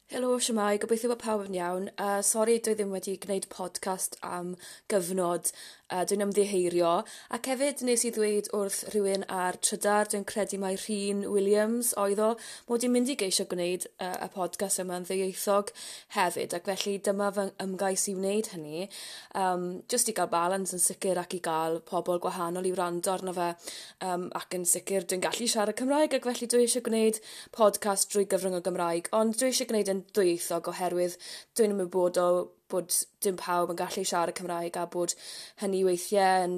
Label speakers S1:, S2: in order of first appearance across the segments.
S1: Helo, shwmae, gobeithio bod pawb yn iawn. Sori dwi ddim wedi gwneud podcast am gyfnod, dwi'n ymddiheirio. Ac hefyd nes i ddweud wrth rhywun ar Trydar, dwi'n credu mai Rhun Williams oedd o, mod i'n mynd i geisio gwneud y podcast yma'n ddwyieithog hefyd, ac felly dyma fy ymgais i wneud hynny, jyst i gael balans yn sicr ac i gael pobl gwahanol i wrando arno fe, ac yn sicr dwi'n gallu siarad Cymraeg ac felly dwi eisiau gwneud podcast drwy gyfrwng y Gymraeg, ond dwi eisiau gwneud yn ddwyieithog oherwydd dwi'n ymwybodol bod dim pawb yn gallu siarad Cymraeg a bod hynny weithiau yn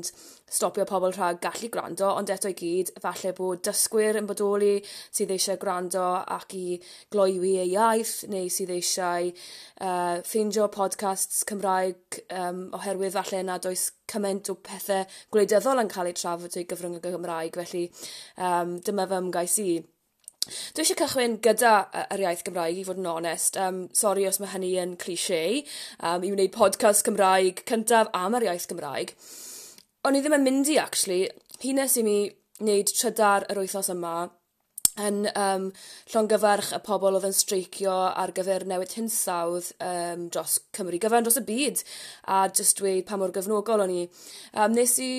S1: stopio pobl rhag gallu gwrando, ond eto i gyd, falle bod dysgwyr yn bodoli sydd eisiau gwrando ac i gloywi eu iaith, neu sydd eisiau ffeindio podcasts Cymraeg oherwydd falle nad oes cymaint o pethau gwleidyddol yn cael eu trafod drwy gyfrwng y Gymraeg, felly dyma fy ymgais i. Dwi eisiau cychwyn gyda yr iaith Gymraeg, i fod yn onest. Sori os mae hynny yn cliché, i wneud podcast Cymraeg cyntaf am yr iaith Gymraeg. O'n i ddim yn mynd i, actually. Hynnes i mi wneud trydar yr wythnos yma yn llongyfarch y pobl oedd yn streicio ar gyfer newid hinsawdd dros Cymru gyfan, dros y byd, a jyst dweud pa mor gefnogol o'n i. Nes i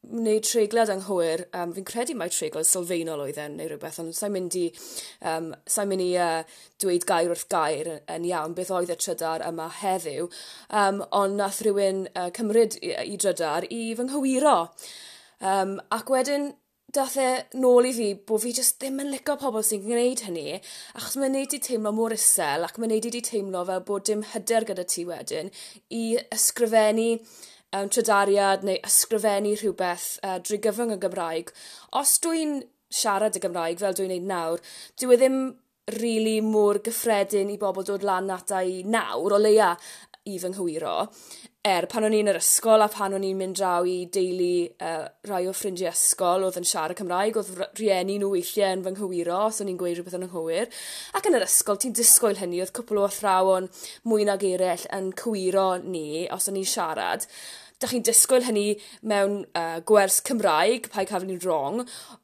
S1: wneud treiglad anghywir, fi'n credu mai treiglad sylfaenol oedd e neu rhywbeth, ond sa'n mynd i, sa'n mynd i dweud gair wrth gair yn iawn beth oedd y trydar yma heddiw, ond nath rhywun cymryd i drydar i fy nghywiro. Ac wedyn dath e nôl i fi bod fi jyst ddim yn licio pobl sy'n gwneud hynny, achos mae'n neud ti teimlo mor isel ac mae'n neud i ti teimlo fel bod dim hyder gyda ti wedyn i ysgrifennu trydariad neu ysgrifennu rhywbeth drwy gyfrwng y Gymraeg. Os dwi'n siarad y Gymraeg fel dwi'n neud nawr, dyw e ddim really mor gyffredin i bobl dod lan ata i nawr, o leia i fy nghywiro. Pan o'n i'n yr ysgol a pan o'n i'n mynd draw i deulu rai o ffrindiau ysgol oedd yn siarad Cymraeg, oedd rhieni nhw weithiau yn fy nghywiro os o'n i'n gweud rhywbeth yn anghywir. Ac yn yr ysgol, ti'n disgwyl hynny, oedd cwpl o athrawon mwy nag eraill yn cywiro ni os o'n i'n siarad. Dach chi'n disgwyl hynny mewn gwers Cymraeg, paid cael ni'n wrong,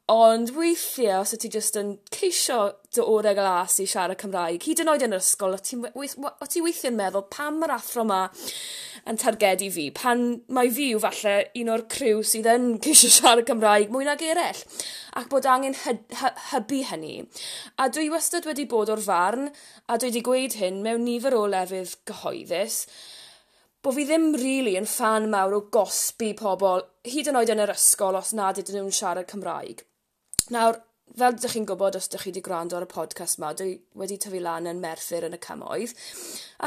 S1: ond weithiau os y ti jyst yn ceisio dy orau glas i siarad Cymraeg, hyd yn oed yn yr ysgol, o ti weithiau'n meddwl pam mae'r athro ma yn targedu fi, pan mae fi yw falle un o'r criw sydd yn ceisio siarad Cymraeg mwy nag eraill, ac bod angen hybu hynny. A dwi wastad wedi bod o'r farn, a dwi wedi gweud hyn mewn nifer o lefydd gyhoeddus, bo fi ddim really yn ffan mawr o gosbi pobl, hyd yn oed yn yr ysgol os nad ydyn nhw'n siarad Cymraeg. Nawr, fel ydych chi'n gwybod os ydych chi wedi gwrando ar y podcast yma, dwi wedi tyfu lan yn Merthyr yn y Cymoedd,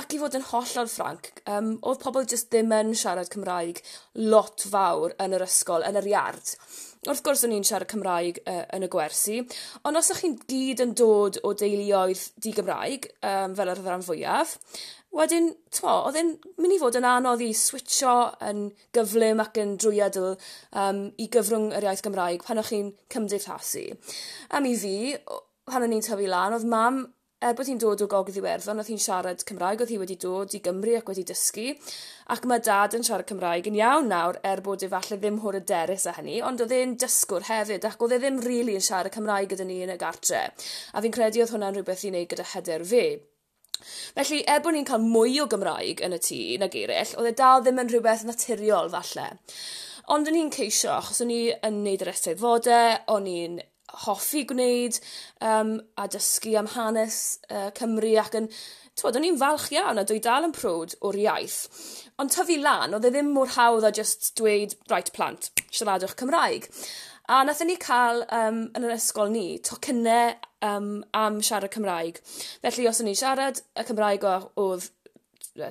S1: ac i fod yn hollol ffranc, oedd pobl jyst ddim yn siarad Cymraeg lot fawr yn yr ysgol, yn yr iard. Wrth gwrs o'n i'n siarad Cymraeg yn y gwersi, ond os ydych chi'n gyd yn dod o deuluoedd di-Gymraeg, fel yr rhan fwyaf, wedyn, t'mo, oedd e'n mynd i fod yn anodd i switcho yn gyflym ac yn drwyadl i gyfrwng yr iaith Gymraeg pan o'ch chi'n cymdeithasu. Am i fi, pan o'n i'n tyfu lan, oedd mam, er bod hi'n dod o Gogledd Iwerddon, oedd hi'n siarad Cymraeg, oedd hi wedi dod i Gymru ac wedi dysgu, ac mae dad yn siarad Cymraeg yn iawn nawr, er bod e falle ddim mor hyderus â hynny, ond oedd e'n dysgwr hefyd, ac oedd e ddim rili yn siarad Cymraeg gyda ni yn y gartre. A fi'n credu oedd hwnna'n rhywbeth i wneud gyda hyder fe. Felly, er bod ni'n cael mwy o Gymraeg yn y tŷ nag eraill, oedd e dal ddim yn rhywbeth naturiol falle. Ond o'n i'n ceisio, achos o'n i yn neud yr eisteddfodau, o'n i'n hoffi gwneud a dysgu am hanes Cymru ac yn, t'mod, o'n i'n falch iawn a dwi dal yn proud o'r iaith. Ond tyfu lan, oedd e ddim mor hawdd a jyst dweud, right plant, siaradwch Cymraeg. A nathon ni cael yn yr ysgol ni tocynnau am siarad Cymraeg. Felly os o'n i'n siarad y Cymraeg oedd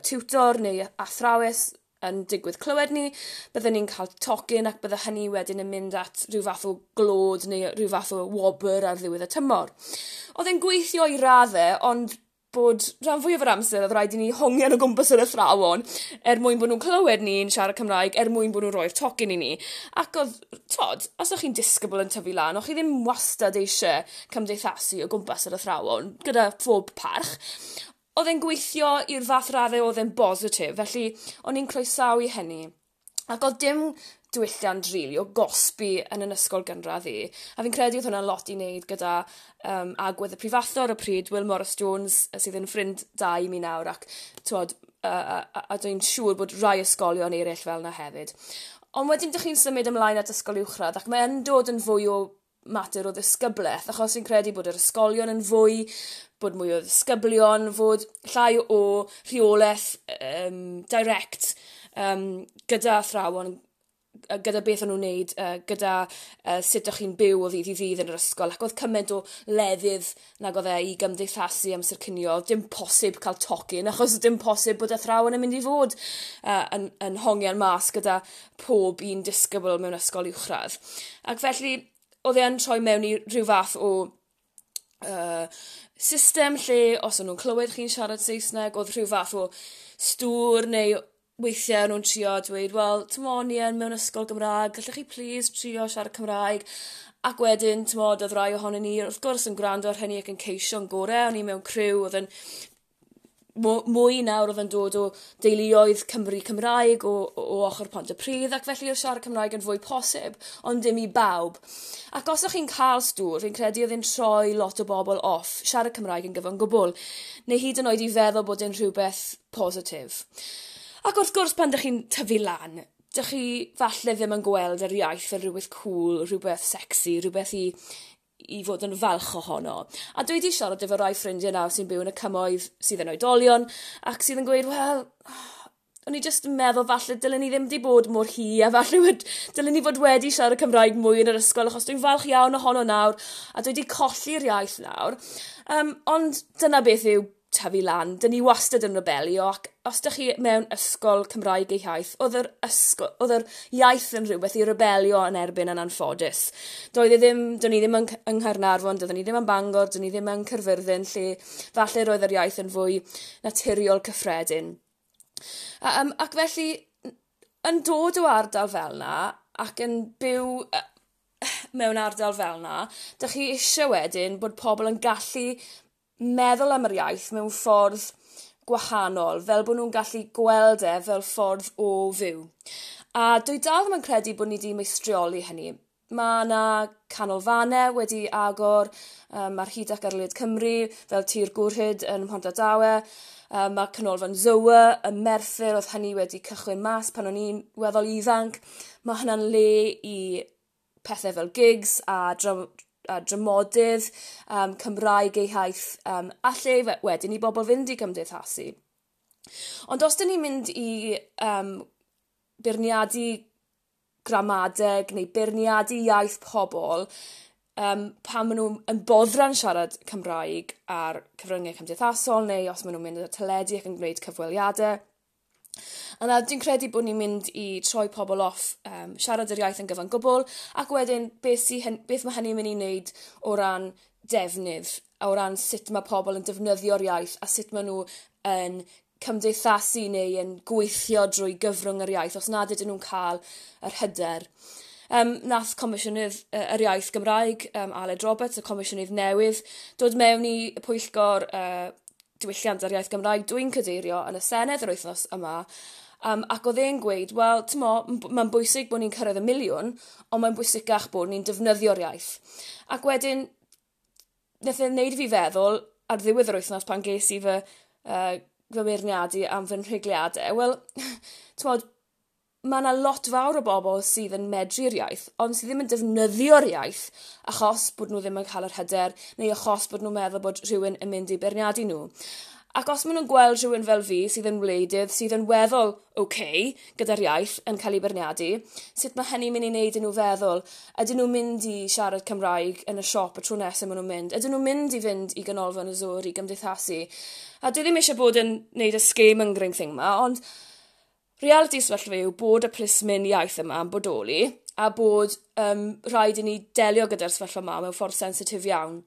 S1: tiwtor neu athrawes yn digwydd clywed ni, bydden ni'n cael tocyn ac bydde hynny wedyn yn mynd at rhyw fath o glod neu rhyw fath o wobr ar ddiwedd y tymor. Oedd e'n gweithio i raddau, ond bod rhan fwyaf o'r amser oedd rhaid i ni hongian o gwmpas yr athrawon er mwyn bod nhw'n clywed ni'n siarad Cymraeg, er mwyn bod nhw'n rhoi'r tocyn i ni. Ac oedd, t'od, os o'ch chi'n disgybl yn tyfu lan, o'ch chi ddim wastad eisiau cymdeithasu o gwmpas yr athrawon, gyda phob parch. Oedd e'n gweithio i'r fath raddau oedd e'n bositif, felly o'n i'n croesawu hynny. Ac oedd dim diwylliant rili o gosbi yn yn ysgol gynradd i. A fi'n credu oedd hwnna'n lot i wneud gyda agwedd y prifathro ar y pryd, Will Morris Jones, sydd yn ffrind da i mi nawr, ac t'wod, a dwi'n siŵr bod rai ysgolion eraill fel yna hefyd. Ond wedyn dych chi'n symud ymlaen at ysgol uwchradd ac mae yn dod yn fwy o mater o ddisgyblaeth, achos fi'n credu bod yr ysgolion yn fwy, bod mwy o ddisgyblion, fod llai o rheolaeth direct gyda athrawon, gyda beth o'n nhw'n neud, gyda sut o'ch chi'n byw o ddydd i ddydd yn yr ysgol, ac oedd cymaint o lefydd nag oedd e i gymdeithasu amser cinio. Dim posib cael tocyn, achos dim posib bod athrawon yn mynd i fod yn hongian mas gyda pob un disgybl mewn ysgol uwchradd. Ac felly, oedd e yn troi mewn i rhyw fath o system lle, os o'n nhw'n clywed chi'n siarad Saesneg, oedd rhyw fath o stŵr neu weithiau o'n nhw'n trio dweud, "Wel, t'mo, ni yn mewn ysgol Gymraeg, gallech chi please trio siarad Cymraeg?" Ac wedyn, t'mod, oedd rai ohonon ni, wrth gwrs, yn gwrando ar hynny ac yn ceisio'n gorau. O'n i mewn criw oedd yn mwy nawr oedd yn dod o deuluoedd Cymru Cymraeg o ochr Pontypridd, ac felly oedd siarad Cymraeg yn fwy posib, ond dim i bawb. Ac os o'ch chi'n cael stŵr, fi'n credu oedd e'n troi lot o bobl off siarad Cymraeg yn gyfan gwbl, neu hyd yn oed i feddwl bod e'n rhywbeth positif. Ac wrth gwrs, pan dych chi'n tyfu lan, dych chi falle ddim yn gweld yr iaith fel rhywbeth cool, rhywbeth sexy, rhywbeth i fod yn falch ohono. A dwi wedi siarad efo rai ffrindiau nawr sy'n byw yn y cymoedd sydd yn oedolion ac sydd yn gweud, "Wel, o'n i jyst yn meddwl falle dylen ni ddim wedi bod mor hi a falle dylen ni fod wedi siarad Cymraeg mwy yn yr ysgol, achos dwi'n falch iawn ohono nawr a dwi wedi colli'r iaith nawr." Ond dyna beth yw tyfu lan. Dyn ni wastad yn rebelio, ac os ydych chi mewn ysgol Cymraeg ei hiaith, oedd yr iaith yn rhywbeth i rebelio yn erbyn yn anffodus. Doedd e ddim, do'n ni ddim yng Nghaernarfon, doeddwn ni ddim yn Bangor, do'n ni ddim yn Caerfyrddin, lle falle roedd yr iaith yn fwy naturiol cyffredin. Ac felly, yn dod o ardal fel na, ac yn byw mewn ardal fel na, dych chi eisiau wedyn bod pobl yn gallu meddwl am yr iaith mewn ffordd gwahanol, fel bod nhw'n gallu gweld e fel ffordd o fyw. A dwi dal ddim yn credu bod ni wedi meistrioli hynny. Mae yna canolfannau wedi agor ar hyd ac ar led Cymru, fel Tir Gwrhyd yn Mhontardawe. Mae canolfan Zoe yn Merthyr, oedd hynny wedi cychwyn mas pan o'n i'n weddol ifanc. Mae hynna'n le i pethau fel gigs a dramodydd Cymraeg eu hiaith, a lle wedyn i bobl fynd i gymdeithasu. Ond os dyn ni'n mynd i beirniadu gramadeg neu beirniadu iaith pobl pan maen nhw'n yn boddran siarad Cymraeg ar cyfryngau cymdeithasol neu os maen nhw'n mynd ar teledu ac yn gwneud cyfweliadau, yna dwi'n credu bod ni'n mynd i troi pobl off siarad yr iaith yn gyfan gwbl, ac wedyn beth mae hynny'n mynd i wneud o ran defnydd, o ran sut mae pobl yn defnyddio'r iaith a sut maen nhw yn cymdeithasu neu yn gweithio drwy gyfrwng yr iaith os nad ydyn nhw'n cael yr hyder. Nath Comisiynydd yr Iaith Gymraeg, Aled Roberts, y Comisiynydd newydd, dod mewn i pwyllgor diwylliant a'r iaith Gymraeg dwi'n cadeirio yn y Senedd yr wythnos yma, ac oedd e'n gweud, "Wel, t'mo, mae'n bwysig bod ni'n cyrraedd 1 miliwn, ond mae'n bwysicach bod ni'n defnyddio'r iaith." Ac wedyn, nath e wneud i fi feddwl, ar ddiwedd yr wythnos pan ges i fy meirniadu am fy nhreigliadau, wel, t'mod, mae yna lot fawr o bobl sydd yn medru'r iaith, ond sydd ddim yn defnyddio'r iaith achos bod nhw ddim yn cael yr hyder neu achos bod nhw'n meddwl bod rhywun yn mynd i beirniadu nhw. Ac os maen nhw'n gweld rhywun fel fi sydd yn wleidydd, sydd yn weddol okay gyda'r iaith yn cael ei beirniadu, sut mae hynny'n mynd i wneud i nhw feddwl? Ydyn nhw'n mynd i siarad Cymraeg yn y siop y tro nesaf maen nhw'n mynd? Ydyn nhw'n mynd i fynd i ganolfan y Zoar i gymdeithasu? A dwi ddim eisiau bod yn neud y scaremongering thing ma, ond reality sefyllfa yw bod y plismyn iaith yma yn bodoli a bod rhaid i ni delio gyda'r sefyllfa yma mewn ffordd sensitif iawn.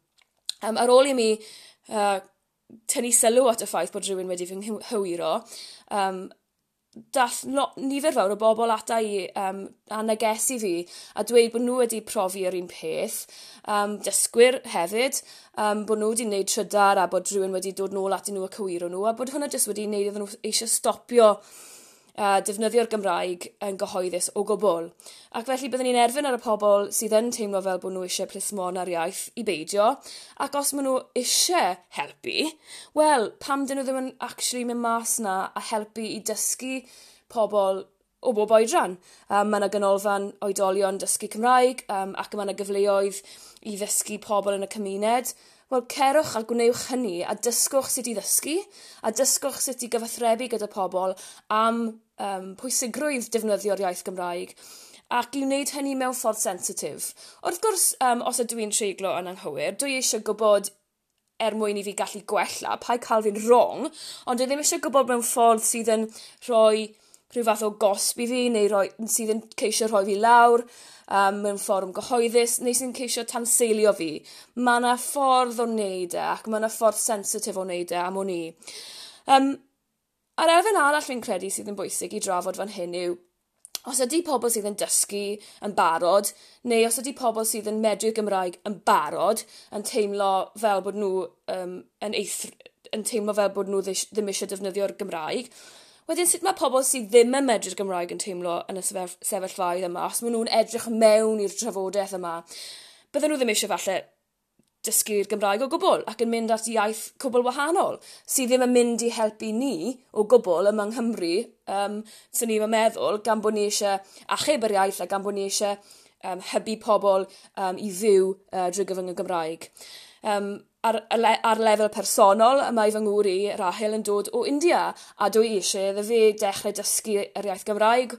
S1: Ar ôl i mi tynnu sylw at y ffaith bod rhywun wedi fy nghywiro, dath nifer fawr o bobl ata i a negesu fi a dweud bod nhw wedi profi yr un peth, dysgwyr hefyd, bod nhw wedi gwneud trydar a bod rhywun wedi dod nôl atyn nhw a cywiro nhw, a bod hwnna jyst wedi gwneud iddyn nhw eisiau stopio. defnyddio'r Gymraeg yn gyhoeddus o gwbl. Ac felly byddwn ni'n erfyn ar y pobl sydd yn teimlo fel bod nhw eisiau plismona'r iaith i beidio, ac os maen nhw eisiau helpu, wel, pam dyn nhw ddim yn actually mynd mas na a helpu i dysgu pobl o bob oedran. Mae yna ganolfan oedolion dysgu Cymraeg ac mae yna gyfleoedd i ddysgu pobl yn y cymuned. Wel, cerwch a gwnewch hynny a dysgwch sut i ddysgu a dysgwch sut i gyfathrebu gyda pobl am pwysigrwydd defnyddio'r iaith Gymraeg ac i wneud hynny mewn ffordd sensitif. Wrth gwrs, os ydw i'n treiglo yn anghywir, dwi eisiau gwybod er mwyn i fi gallu gwella, paid cael fi'n wrong, ond dwi ddim eisiau gwybod mewn ffordd sydd yn rhoi rhyw fath o gosb i fi, neu sydd yn ceisio rhoi fi lawr mewn fforwm gyhoeddus, neu sy'n ceisio tanseilio fi. Mae yna ffordd o wneud e, ac mae yna ffordd sensitif o wneud e am wn i. A'r elfen arall fi'n credu sydd yn bwysig i drafod fan hyn yw, os ydy pobl sydd yn dysgu yn barod, neu os ydy pobl sydd yn medru'r Gymraeg yn barod, yn teimlo fel bod nhw yn teimlo fel bod nhw ddim eisiau defnyddio'r Gymraeg, wedyn sut mae pobl sydd ddim yn medru'r Gymraeg yn teimlo yn y sefyllfaoedd yma, os maen nhw'n edrych mewn i'r trafodaeth yma, bydden nhw ddim eisiau falle dysgu'r Gymraeg o gwbl ac yn mynd at iaith cwbl wahanol, sydd ddim yn mynd i helpu ni o gwbl yma yng Nghymru, sy'n ni'n meddwl, gan bod ni eisiau achub yr iaith a gan bod ni eisiau hybu pobl i fyw drwy gyfrwng y Gymraeg. Ar lefel personol, mae fy ngŵr i, Rahel, yn dod o India, a dwi eisiau iddo fe dechrau dysgu yr iaith Gymraeg.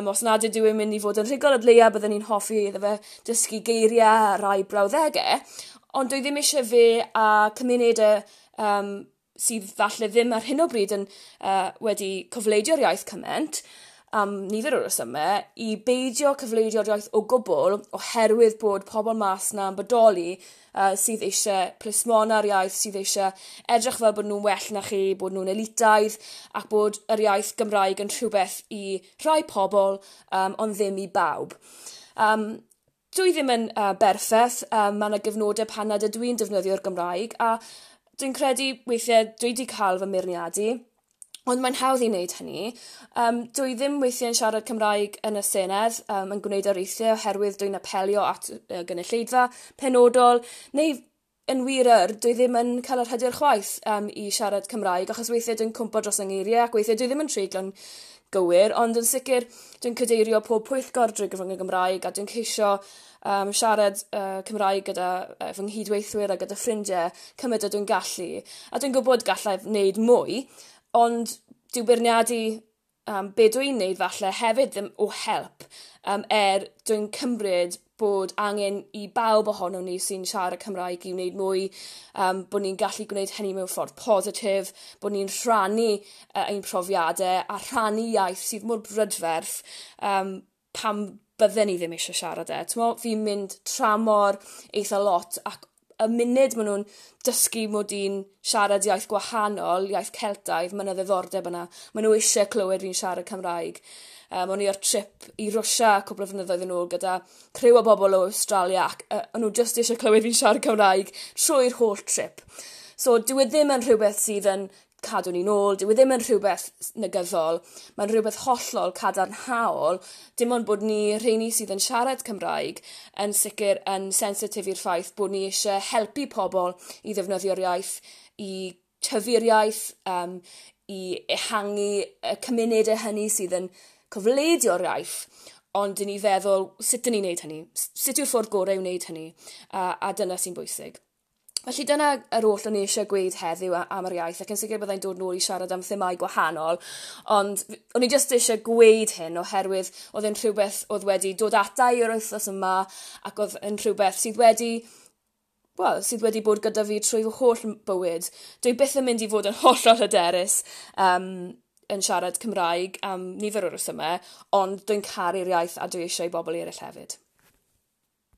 S1: Os nad ydw i'n mynd i fod yn rhugl, o leia byddwn ni'n hoffi iddo fe dysgu geiriau a rai brawddegau, ond dwi ddim eisiau fe a cymunedau sydd falle ddim ar hyn o bryd yn wedi cofleidio'r iaith cymaint, am nifer o resymau, i beidio cyfleidio'r iaith o gwbl oherwydd bod pobl mas na yn bodoli sydd eisiau plismona'r iaith, sydd eisiau edrych fel bod nhw'n well na chi, bod nhw'n elitaidd, ac bod yr iaith Gymraeg yn rhywbeth i rhai pobl, ond ddim i bawb. Dwi ddim yn berffaith, mae yna gyfnodau pan nad ydw i'n defnyddio'r Gymraeg, a dwi'n credu weithiau dwi wedi cael fy meirniadu, ond mae'n hawdd i wneud hynny. Dwi ddim weithiau'n siarad Cymraeg yn y Senedd, yn gwneud areithiau oherwydd dwi'n apelio at gynulleidfa penodol, neu yn wir dwi ddim yn cael yr hyder chwaith i siarad Cymraeg, achos weithiau dwi'n cwmpo dros yng ngeiriau, ac weithiau dwi ddim yn treiglo'n gywir, ond yn sicr dwi'n cadeirio pob pwyllgor drwy gyfrwng y Gymraeg, a dwi'n ceisio siarad Cymraeg gyda fy nghydweithwyr a gyda ffrindiau cymaint â dwi'n gallu. A dwi'n gwybod gallai wneud mwy, ond dyw beirniadu be dwi'n wneud falle hefyd ddim o help, dwi'n cymryd bod angen i bawb ohonon ni sy'n siarad Cymraeg i wneud mwy, bod ni'n gallu gwneud hynny mewn ffordd positif, bod ni'n rhannu ein profiadau a rhannu iaith sydd mor brydferth, pam bydden ni ddim eisiau siarad e. Fi'n mynd tramor eitha lot, ac y munud maen nhw'n dysgu mod i'n siarad iaith gwahanol, iaith Celtaidd, mae yna ddiddordeb yna. Maen nhw eisiau clywed fi'n siarad Cymraeg. O'n i ar trip i Rwsia cwpl o flynyddoedd yn ôl gyda criw o bobl o Australia, ac o'n nhw jyst eisiau clywed fi'n siarad Cymraeg trwy'r holl trip. So dyw e ddim yn rhywbeth sydd yn cadw ni'n ôl, dyw e ddim yn rhywbeth negyddol, mae'n rhywbeth hollol cadarnhaol, dim ond bod ni, rheini sydd yn siarad Cymraeg, yn sicr yn sensitif i'r ffaith bod ni eisiau helpu pobl i ddefnyddio'r iaith, i tyfu'r iaith, i ehangu y cymunedau hynny sydd yn cofleidio'r iaith, ond dyn ni feddwl, sut dyn ni'n neud hynny? Sut yw'r ffordd gorau i wneud hynny? A dyna sy'n bwysig. Felly dyna yr oll o'n i eisiau gweud heddiw am yr iaith, ac yn sicr byddai'n dod nôl i siarad am themâu gwahanol, ond o'n i jyst eisiau gweud hyn oherwydd oedd e'n rhywbeth oedd wedi dod ata i yr wythnos yma, ac oedd yn rhywbeth sydd wedi, wel, sydd wedi bod gyda fi trwy fy holl bywyd. Dwi byth yn mynd i fod yn hollol hyderus yn siarad Cymraeg am nifer o resymau, ond dwi'n caru'r iaith a dwi eisiau i bobl eraill hefyd.